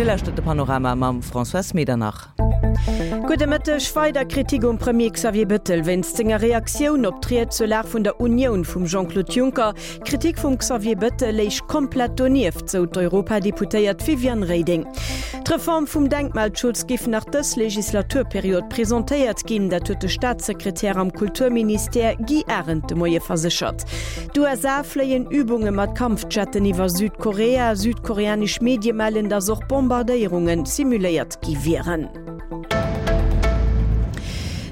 Dir lauschtert de Panorama mam Françoise Medernach. Gudde Mëtteg. Weider Kritik um Premier Xavier Bettel wéinst senger Reaktioun op d'Ried zur Lag vun der Unioun vum Jean-Claude Juncker. D'Kritik vum Xavier Bettel léich komplett donieft, sou d'Europadeputéiert Viviane Reding. D'Reform vum Denkmalschutz géif nach dës Legislaturperiod presentéiert ginn, dat huet de Staatssekretär am Kulturministère Guy Arendt de Moie verséchert. D'USA fléien Übunge mat Kampfjetten iwwer Südkorea. Südkoreanesch Medie mellen, datt och Bombardéierunge simuléiert gi wieren.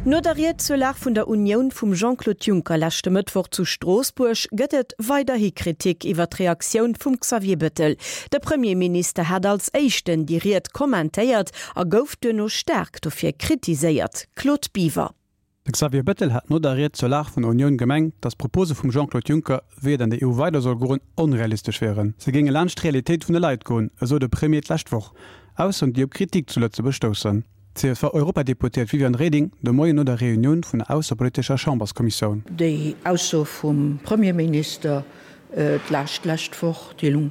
No der Ried zur Lag vun der Unioun vum Jean-Claude Juncker leschte Mëttwoch zu Stroossbuerg gëtt et weiderhi Kritik iwwer d'Reaktioun vum Xavier Bettel. De Premierminister hat als éischten déi Ried kommentéiert a gouf duerno staark dofir kritiséiert. Claude Biver. De Xavier Bettel hat no der Ried zur Lag vun der Unioun gemengt, datt d'Propose vum Jean-Claude Juncker, wéi et an der EU weider soll goen, onrealistesch wieren. Se géinge laanscht d'Realitéit vun de Leit goen, esou de Premier d'lescht Woch. Aussoen, déi op Kritik zu Lëtzebuerg stoussen. D'CSV-Europadeputéiert Viviane Reding de Moien no der Reunioun vun der aussepolitescher Chamberskommissioun. Déi Ausso vum Premierminister d'lescht lescht Woch, déi lung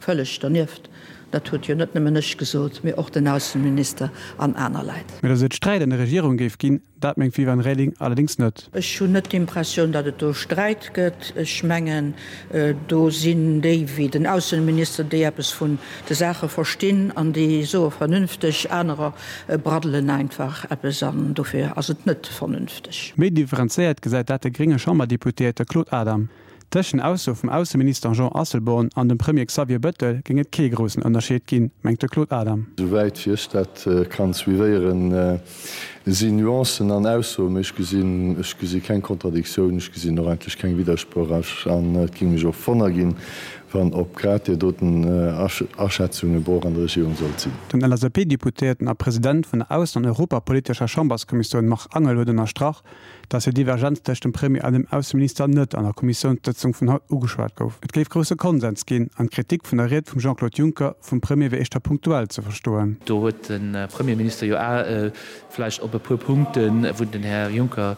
Vëlleg dernieft. Dat huet jo net nëmmen ech gesot, mee och den Ausseminister an aner Leit. Mee datt et Sträit an der Regierung géif ginn, dat mengt d'Viviane Reding allerdéngs net. Ech hunn net d'Impressioun, datt et do Sträit gëtt. Ech mengen, do sinn déi wéi den Ausseminister, déi eppes vun de Saache verstinn an déi soe vernünfteg, anerer braddelen einfach eppes an dofir ass et net vernünfteg. Méi differenzéiert gesäit dat de grénge Chamberdeputéierte Claude Adam. Tëscht den Aussoe vum Ausseminister Jean Asselborn an dem Premier Xavier Bettel géing et kee groussen Ënnerscheed ginn, mengt de Claude Adam. Souwäit wéi ech dat kann suivéieren, sinn Nuancen an Aussoen, mee ech gesinn, ech gesi keng Kontradiktioun, ech gesinn och eigentlech keng Widdersproch an et géing mech och Wonner ginn, wann op grad deer doten Aschätzung e Broch an der Regierung sollt sinn. Den LSAP-Deputéierten a President vun der Aussen an europapolitescher Chamberskommissioun Marc Angel huet ënnerstrach, datt déi Divergenz tëscht dem Premier an dem Ausseminister net an der Kommissiounssëtzung vun haut ugeschwat gouf. Et géif grousse Konsens ginn an d'Kritik vun der Ried vum Jean-Claude Juncker vum Premier wier éischter punktuell ze verstoen. Do huet de Premierminister jo vläicht op e puer Punkten, wou den Här Juncker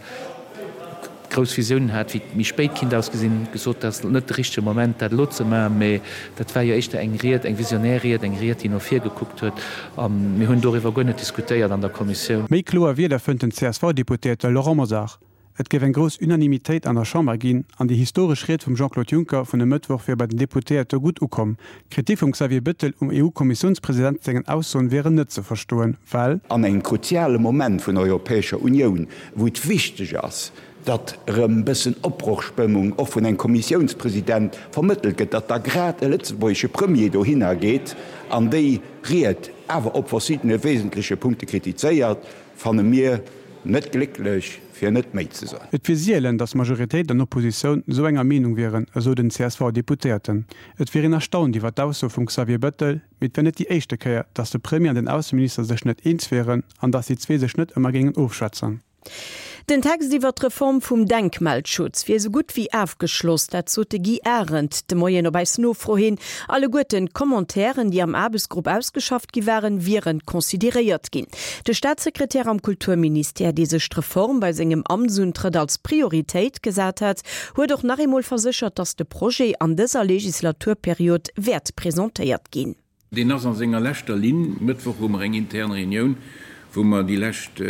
grouss Visiounen hat, wéi et méi spéit kinnt ausgesinn, gesot, dat ass net de richtege Moment, dat elo ze maachen. Mä dat war jo éischter eng Ried, eng visionär Ried, eng Ried, déi no vir gekuckt huet. A mir hunn doriwwer guer net diskutéiert an der Kommissioun. Méi kloer Wierder fënnt den CSV-Deputéierte Laurent Mosar. Et géif eng grouss Unanimitéit an der Chamber ginn an déi historesch Ried vum Jean-Claude Juncker vun e Mëttwoch wier bei den Deputéierte gutt ukomm. D'Kritik vum Xavier Bettel um EU-Kommissiounspresident sengen Aussoen wieren net ze verstoen, well. An engem kruziale Moment vun der Europäescher Unioun, wou et wichteg ass, datt erëm e bëssen Opbrochspëmmung och vun engem Kommissiounspresident vermëttelt gëtt, datt da grad e lëtzebuergesche Premier dohinner geet an déi Ried awer op verschiddene wesentleche Punkte kritizéiert, fanne mir net glécklech, fir net méi ze soen. Et wier sielen, datt Majoritéit an Oppositioun esou enger Meenung wieren, esou den CSV-Deputéierten. Et wier een erstaunt iwwer d'Ausso vum Xavier Bettel, mee et wär net déi éischte Kéier, datt de Premier an den Ausseminister sech net eens wieren an datt déi zwee sech net ëmmer géingen ofschwätzen. Den Text iwwer d'Reform vum Denkmalschutz wier esou gutt wéi afgeschloss, dat sot de Guy Arendt de Moien op eis Nofro hin. Alleguerten d'Commentairen, déi am Aarbechtsgrupp ausgeschafft gi waren, wiere consideréiert ginn. De Staatssekretär am Kulturministère, dee sech d'Reform bei sengem Amtsuntrëtt als Prioritéit gesat hat, huet och nach eemol verséchert, datt de Projet an dëser Legislaturperiod wäert presentéiert ginn. Deen ass a senger leschter Linn. Mëttwoch hu mer eng intern Reunioun, wou mer déi lescht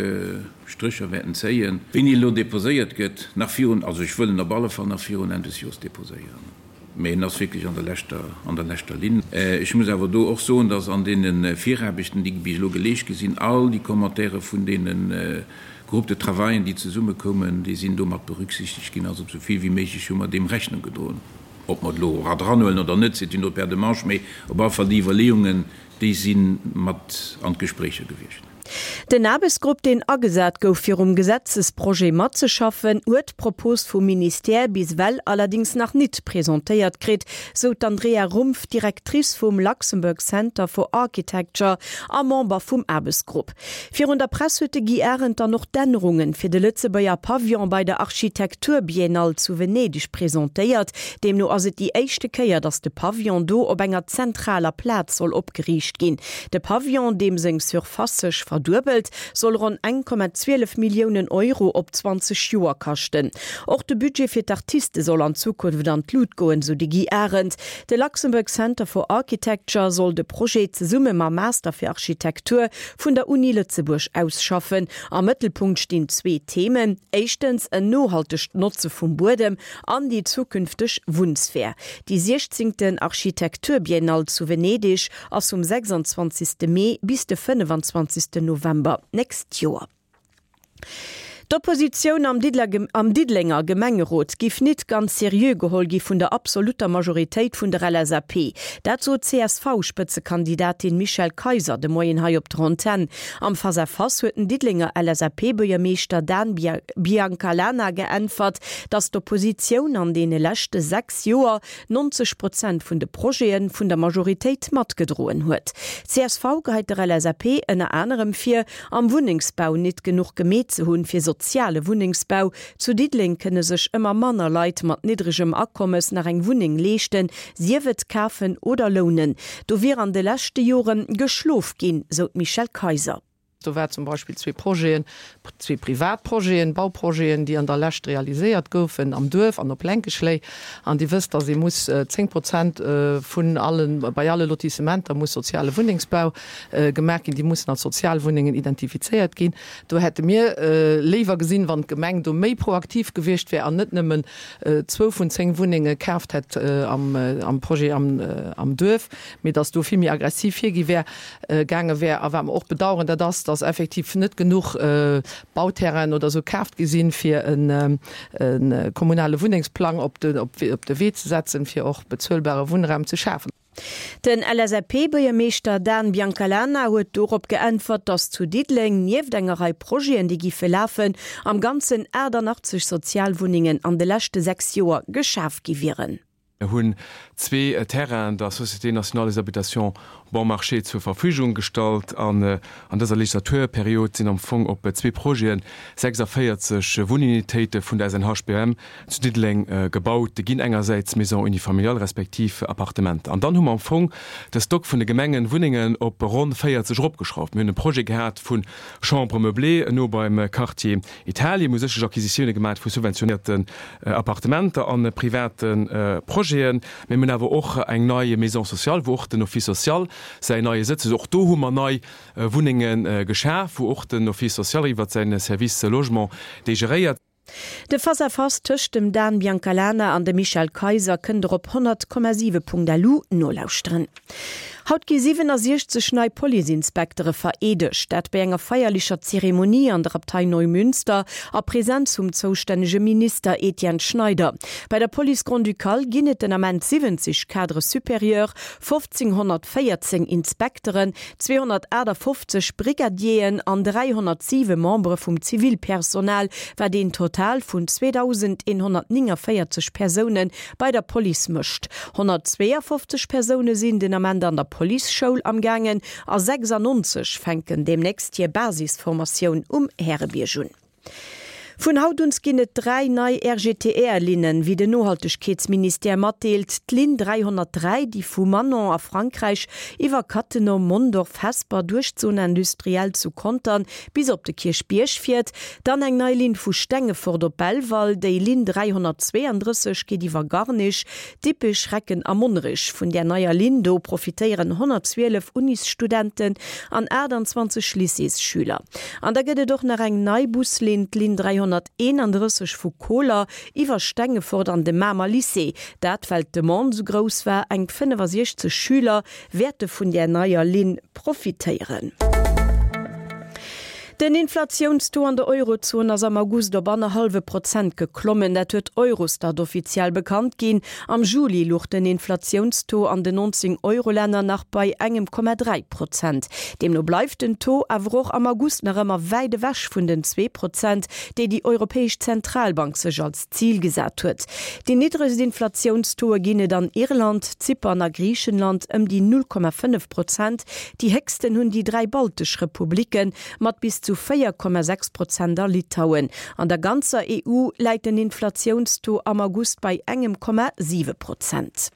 Strécher wäerten zéien. Wéini elo deposéiert gëtt, nach virun, also ech wëll en op alle Fall nach virun Enn des Jores deposéieren, mä en ass wierklech an der leschter, an der leschter Linn. Ech muss awer do och soen, dass an deene Viraarbechten, déi bis elo geleescht gi sinn, all déi Commentaire vun deene Groupes de travaillen, déi zesummekoumen, déi sinn do mat berücksichtegt ginn. Also esou vill wéi méiglech hu mer deem Rechnung gedroen. Ob mer et elo era dranhuelen oder net, c'est une autre paire de manches, mee op alle Fall déi Iwwerleeungen, déi si mat an d'Gespréicher gewiescht. Den Aarbechtsgrupp, deen agesat gouf, fir um Gesetzesprojet matzeschaffen, huet d'Propos vum Ministère bis ewell allerdings nach nit presentéiert kritt, sou d'Andrea Rumpf, Directrice vum Luxembourg Center for Architecture a Member vum Aarbechtsgrupp. Virun der Press huet de Guy Arendt dann och d'Ännerungen fir de Lëtzebuerger Pavillon bei der Architekturbiennale zu Venedeg presentéiert. Deemno ass et déi éischte Kéier, datt de Pavillon do op enger zentraler Plaz soll opgeriicht ginn. De Pavillon, deem seng Surface sech. verduebelt, soll ronn 1,12 Milliounen Euro op 20 Joer kaschten. Och de Budget fir d'Artiste soll an Zukunft an d'Lut goen, sou de Guy Arendt. De Luxembourg Center for Architecture soll de Projet zesumme mam Master fir Architektur vun der Uni Lëtzebuerg ausschaffen. Am Mëttelpunkt stinn zwee Themen, éischtens en nohaltegt Notze vum Buedem an déi zukünfteg Wunnsphär. Déi siechzéngten Architekturbiennale zu Venedeg ass vum 26. Mee bis de 25. November d'nächst Joer. D'Oppositioun am am Diddelenger Gemengerot giff nit ganz seriö geholl gi vun der absolutter Majoritéit vun der LSAP. Dat sot d'CSV-Spëtzekandidatin Michèle Kayser de Moien hei op der Antenn. Am Face-à-Face huet den Diddelenger LSAP-Buergermeeschter Dan Biancalana geäntwert, datt d'Oppositioun an deene leschte 6 Joer 90 Prozent vun de Projete vun der Majoritéit matgedroen huet. Csv geheit der LSAP ënner anerem vir, am Wunnengsbau nit genuch gemeet ze hunn fir soziale Wunnengsbau. Zu Diddeleng kënne sech ëmmer manner Leit mat niddregem Akommes nach eng Wunneng leeschten, sief et kafen oder lounen. Do wier an de leschte Jore geschlof ginn, sou d'Michèle Kayser. Do war zum Beispill zwee Projeten, zwee privat Projeten, Bauprojeten, déi an der Lescht realiséiert goufen am Duerf an op Lenkeschléi. An Dir wësst, dass ee muss 10 Prozent vun allen, bei alle Lotissementer muss soziale Wunnengsbau gemaach ginn. Déi mussen als Sozialwunnengen identifizéiert ginn. Do hätte mir léiwer gesinn, wann d'Gemeng do méi proaktiv gewiescht wär an net nëmmen zwou vun 10 Wunnenge kaaft hätt am Projet am Duerf, mee dass do vill méi aggressiv virgi wär. Gaange wär. A wat mer och bedauern, dat ass, dass effektiv net genuch Bauterrainen oder esou kaaft gi sinn, fir e kommunale Wunnengsplang op de Wee ze setzen, fir och bezuelbare Wunnraum ze schafen. Den LSAP-Buergermeeschter Dan Biancalana huet dorop geäntwert, dass zu Diddeleng nieft enger Rei Projeten, déi giffe lafen, am Ganzen 88 Sozialwunnengen an de leschte 6 Joer geschaf gi wieren. Mir hunn zwee Terrainen der Société nationale des habitations bon marché zur Verfügung gestallt an an dëser Legislaturperiod sinn am Fong op zwee Projete 46 Wunnunitéite vun der SNHBM zu Diddeleng gebaut ginn, engersäits Maisons unifamiliales respektiv Appartementer. An dann hu mer am Fong de Stock vun de Gemengenwunnengen op ronn 40 eropgeschrauft. Mir hunn e Projet gehat vu Chambres meublées no beim Quartier Italien hu sécherlech Acquisitioune gemaat vu subventionéierten Appartementer a private Projeten, mee mir hunn awer och eng nei Maison sociale, wou och den Office social säin neie Sëtz huet. Och do hu mer nei Wunnenge geschaf, wou och den Office social iwwert säin Service Logement déi geréiert. De Face-à-Face tëscht dem Dan Biancalana an dem Michèle Kayser kënnt der op 100,7.lu nolauschteren. Haut gi 67 nei Police-Inspektere vereedegt. Dat bei enger feierlecher Zeremonie an der Abtei Neumünster a Presenz vum zoustännege Minister Etienne Schneider. Bei der Police Grand-Ducale ginn et den Ament 70 Cadres supérieurs, 1.514 Inspekteren, 258 Brigadieren an 307 Membere vum Zivilpersonal, wat een Total vun 2.149 Persoune bei der Police mécht. 152 Persoune sinn den Ament an der Policeschoul amgaangen a 96 fänken deemnächst hir Basisformatioun um Härebierg un. Vun haut un ginn et 3 nei RGTR-Linnen, wéi den Nohaltegkeetsministère matdeelt. D'Linn 303, déi vu Manon a Frankräich iwwer Cattenom, Mondorf, Hesper duerch d'Zone industrielle zu Contern bis op de Kierchbierg fiert. Dann eng nei Linn vu Stengefort op Belval. Déi Linn 332 geet iwwer Garnich, Dippech, Recken a Monnerech. Vun där neier Linn do profitéieren 112 Unisstudenten an 28 Lycéesschüler. An da gëtt et och nach eng nei Buslinn, d'Linn 331 vu Koler iwwer Stengefort an de Mamer Lycée. Dat well d'Demande sou grouss war. Eng 65 Schüler wäerte vun där neier Linn profitéieren. Den Inflatiounstaux an der Eurozon ass am August op annerhallwe Prozent geklommen. Dat huet Eurostat offiziell bekannt ginn. Am Juli luch den Inflatiounstaux an den 19 Eurolänner nach bei engem Komma 3 Prozent. Deemno bleift den Taux awer och am August nach ëmmer wäit ewech vun den 2 Prozent, déi déi Europäesch Zentralbank sech als Zil gesat huet. Déi niddregst Inflatiounstauxe ginn et an Irland, Zypern a Griichenland ëm déi 0,5 Prozent. Déi héchsten hunn déi 3 baltesch Republikke mat bis zu 4,6 Prozent a Litauen. An der ganzer EU läit den Inflatiounstaux am August bei engem Komma 7 Prozent.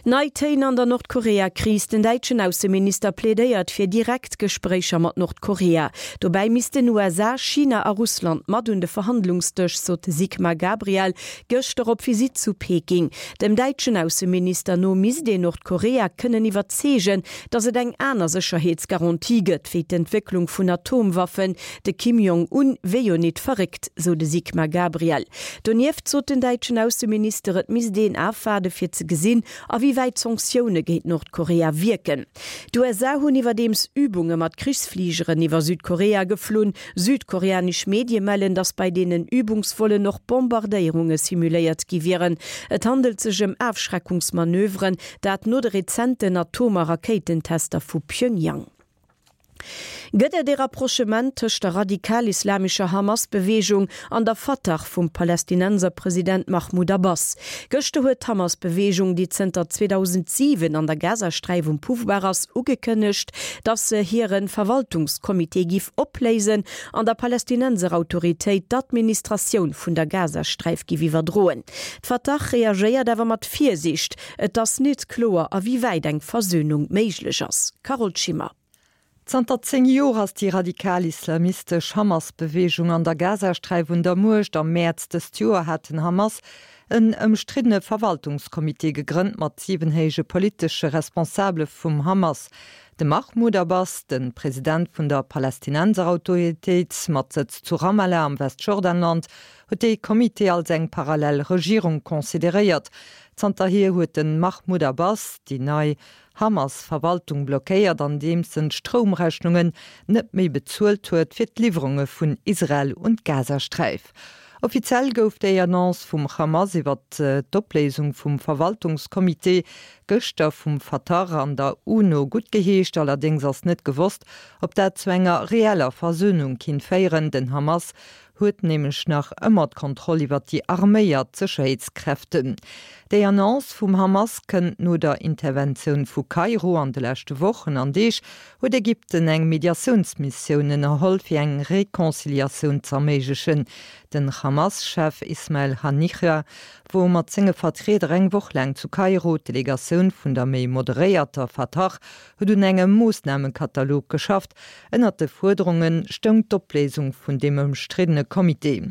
Nei Téin an der Nordkorea-Kris, Den däitschen Ausseminister plädéiert fir direkt Gespréicher mat Nordkorea. Dobäi missten USA, China a Russland mat un de Verhandlungsdësch, sot de Sigmar Gabriel gëschter op Visitt zu Peking. Dem däitschen Ausseminister no misst een Nordkorea kënnen iwwerzeegen, datt et eng aner Sécherheetsgarantie gëtt, wéi d'Entwécklung vun Atomwaffen. De Kim Jong Un wier jo nit verréckt, sou de Sigmar Gabriel. Donieft sot den däitschen Ausseminister, et misst een afwaarde fir ze gesinn, a wéi wäit d'Sanktioune géint Nordkorea wierken. D'USA hunn iwwerdeems Übunge mat Krichsfligeren iwwer Südkorea geflunn. Südkoreanesch Medie mellen, datt bei deenen Übungsvollen och Bombardéierunge simuléiert gi wieren. Et handelt sech ëm Afschreckungsmanöveren, dat no de rezenten Atom a Rakéitentester vu Pjöngjang. Gëtt et ee Rapprochement tëscht der radikal-islamescher Hamas-Beweegung an der Fatah vum Palästinenserpresident Mahmoud Abbas? Gëschter huet d'Hamas-Beweegung, déi zënter 2007 an der Gazasträif um Pouvoir ass, ugekënnegt, datt se hire Verwaltungscomité giff opléisen an der Palästinenserautoritéit d'Administratioun vun der Gazasträif giff iwwerdroen. D'Fatah reagéiert awer mat Virsiicht. Et ass nit kloer, a wéi wäit eng Versönung méiglech ass. Carole Schimmer. Zanter 10 Joer ass déi radikal-islamistesch Hamas-Beweegung an der Gazasträif un der Muecht. Am Mäerz dëst Joer hat den Hamas en ëmstriddene Verwaltungscomité gegrënnt mat 7 héije politesche Responsabele vum Hamas. De Mahmoud Abbas, de President vun der Palästinenserautoritéit mat Sëtz zu Ramallah am Westjordanland, huet dee Comité als eng parallel Regierung consideréiert. Zanterhier huet de Mahmoud Abbas déi nei Hamas-Verwaltung blockéiert, andeems en d'Stroumrechnungen net méi bezuelt huet fir d'Liwwerunge vun Israel un d'Gazasträif. Offiziell gouf déi Annonce vum Hamas iwwer d'Opléisung vum Verwaltungscomité gëschter vum Fatah an der UNO guttgeheescht. Allerdéngs ass net gewosst, ob dat zu enger reeller Versönung kinnt féieren. Den Hamas huet nämlech nach ëmmer d'Kontroll iwwer déi arméiert Sécherheetskräften. Déi Annonce vum Hamas kënnt no der Interventioun vu Kairo. An de leschte Wochen an Deeg huet Ägypten eng Mediatiounsmissioun ënnerholl, fir eng Reconciliatioun z'erméiglechen. Den Hamas-Chef Ismail Haniyeh wor mat senge Vertrieder eng Woch laang zu Kairo. D'Delegatioun vun der méi moderéierter Fatah huet un engem Moossnamekatalog geschafft, Ënnert de Fuerderunge stoung d'Opléisung vun deem ëmstriddene Comité.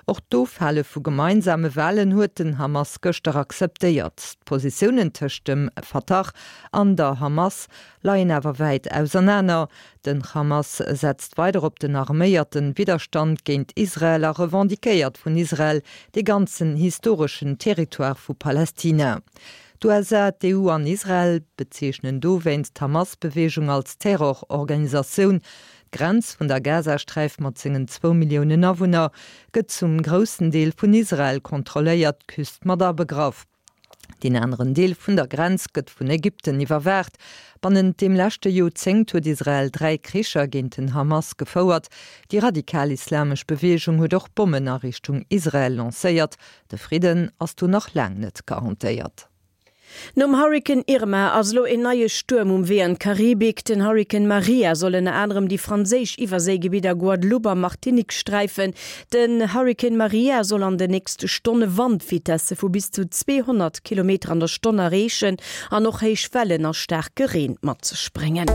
Och d'Ofhale vu gemeinsame Walen huet den Hamas gëschter akzeptéiert. D'Positiounen tëscht dem Fatah an der Hamas leien awer wäit ausernaner. Den Hamas setzt weider op den arméierte Widderstand géint Israel a revendiquéiert vun Israel dee ganzen historeschen Territoire vu Palästina. D'USA, d'EU an Israel bezeechnen dowéinst d'Hamas-Beweegung als Terrororganisatioun. D'Grenz vun der Gazasträif mat sengen zwou Milliounen Awunner gëtt zum groussen Deel vun Israel kontrolléiert, d'Küst mat abegraff. Deen aneren Deel vun der Grenz gëtt vun Ägypten iwwerwaacht. Bannent deem leschte Joerzéngt huet Israel 3 Kricher géint den Hamas gefouert. Déi radikal-islamesch Beweegung huet och Bommen a Richtung Israel lancéiert. De Fridden ass do nach laang net garantéiert. Nom Hurrikan Irma ass elo een neie Stuerm um Wee an d'Karibik. Den Hurrikan Maria soll ënner anerem déi franséisch Iwwerséigebidder Guadeloupe a Martinique sträifen. Den Hurrikan Maria soll an den nächste Stonne Wandvitesse vu bis zu 200 Kilometer an der Stonn erreechen an och héich Wellen a staarke Reen mat sech bréngen.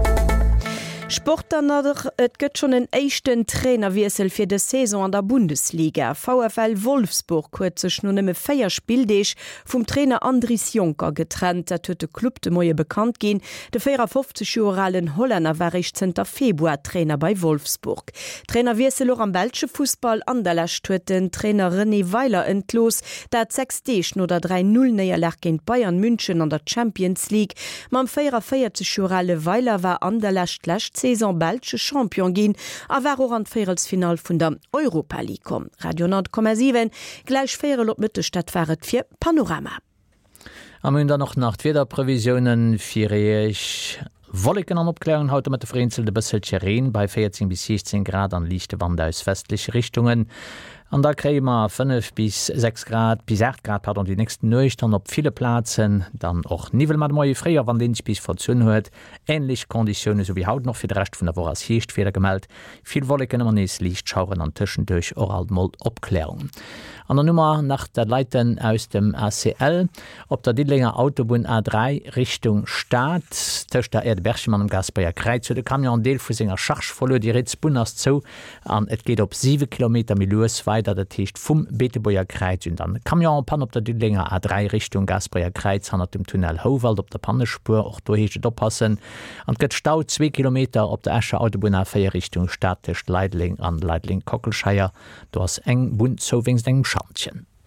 Sport dann nach, Et gëtt schonn en éischten Trainerwiessel fir dës Saison an der Bundesliga. VfL Wolfsburg huet sech no nëmme 4 Spilldeeg vum Trainer Andries Jonker getrennt. Dat huet de Club de Moie bekannt ginn. De 54 Joer alen Hollänner war réischt zënter Februar Trainer bei Wolfsburg. Trainerwiessel och am belsche Fussball. Anderlecht huet den Trainer René Weiler entlooss, dat 6 Deeg no der 3, 0 Néierlag géint Bayern München an der Champions League. Mam 44 Joer ale Weiler war Anderlecht d'lescht Saison belsche Champion ginn a war och an d'Véierelsfinall vun der Europa League komm. Radio 10,7, gläich véierel op Mëtteg, dat war et fir Panorama. A mir hunn dann och nach d'Wiederprevisiounen fir Iech. Wolleken an Opkläerungen haut de Mëtte, vereenzelt e bësselche Reen bei 14 bis 16 Grad an liichte Wand aus westleche Richtungen. An da kréie mer 5 bis 6 Grad, bis 8 Grad, pardon, déi nächst Nuecht an op ville Plazen dann och Niwwel. Ma de Moie fréier, wann deen sech bis verzunn huet, änlech Konditioune sou wéi haut. Och fir de Rescht vun der Woch ass Hierschtwieder gemellt, vill Wolleken, ëmmer nees liicht Schaueren an tëschenduerch och alt mol Opklärungen. An dann hu mer nach dat Leiten aus dem ACL op der Diddelenger Autobunn A3 Richtung Stad. Tëscht der Aire de Berchem an dem Gaasperecher Kräiz huet e Camion en Deel vu senger Charge verluer. Déi riets Bunn ass zou An et geet op 7 Kilometer méi lues weider, dat heescht vum Beetebuerger Kräiz un. Dann Camion en panne op der Diddelenger A3 Richtung Gaasperecher Kräiz hannert dem Tunnel Houwald op der Pannespuer. Och do heescht et oppassen. An et gëtt Stau, zwee Kilometer op der Escher Autobunn A4 Richtung Stad tëscht Leideleng an Leideleng-Kockelscheier. Do ass eng Bunn zou wéinst engem Schantjen.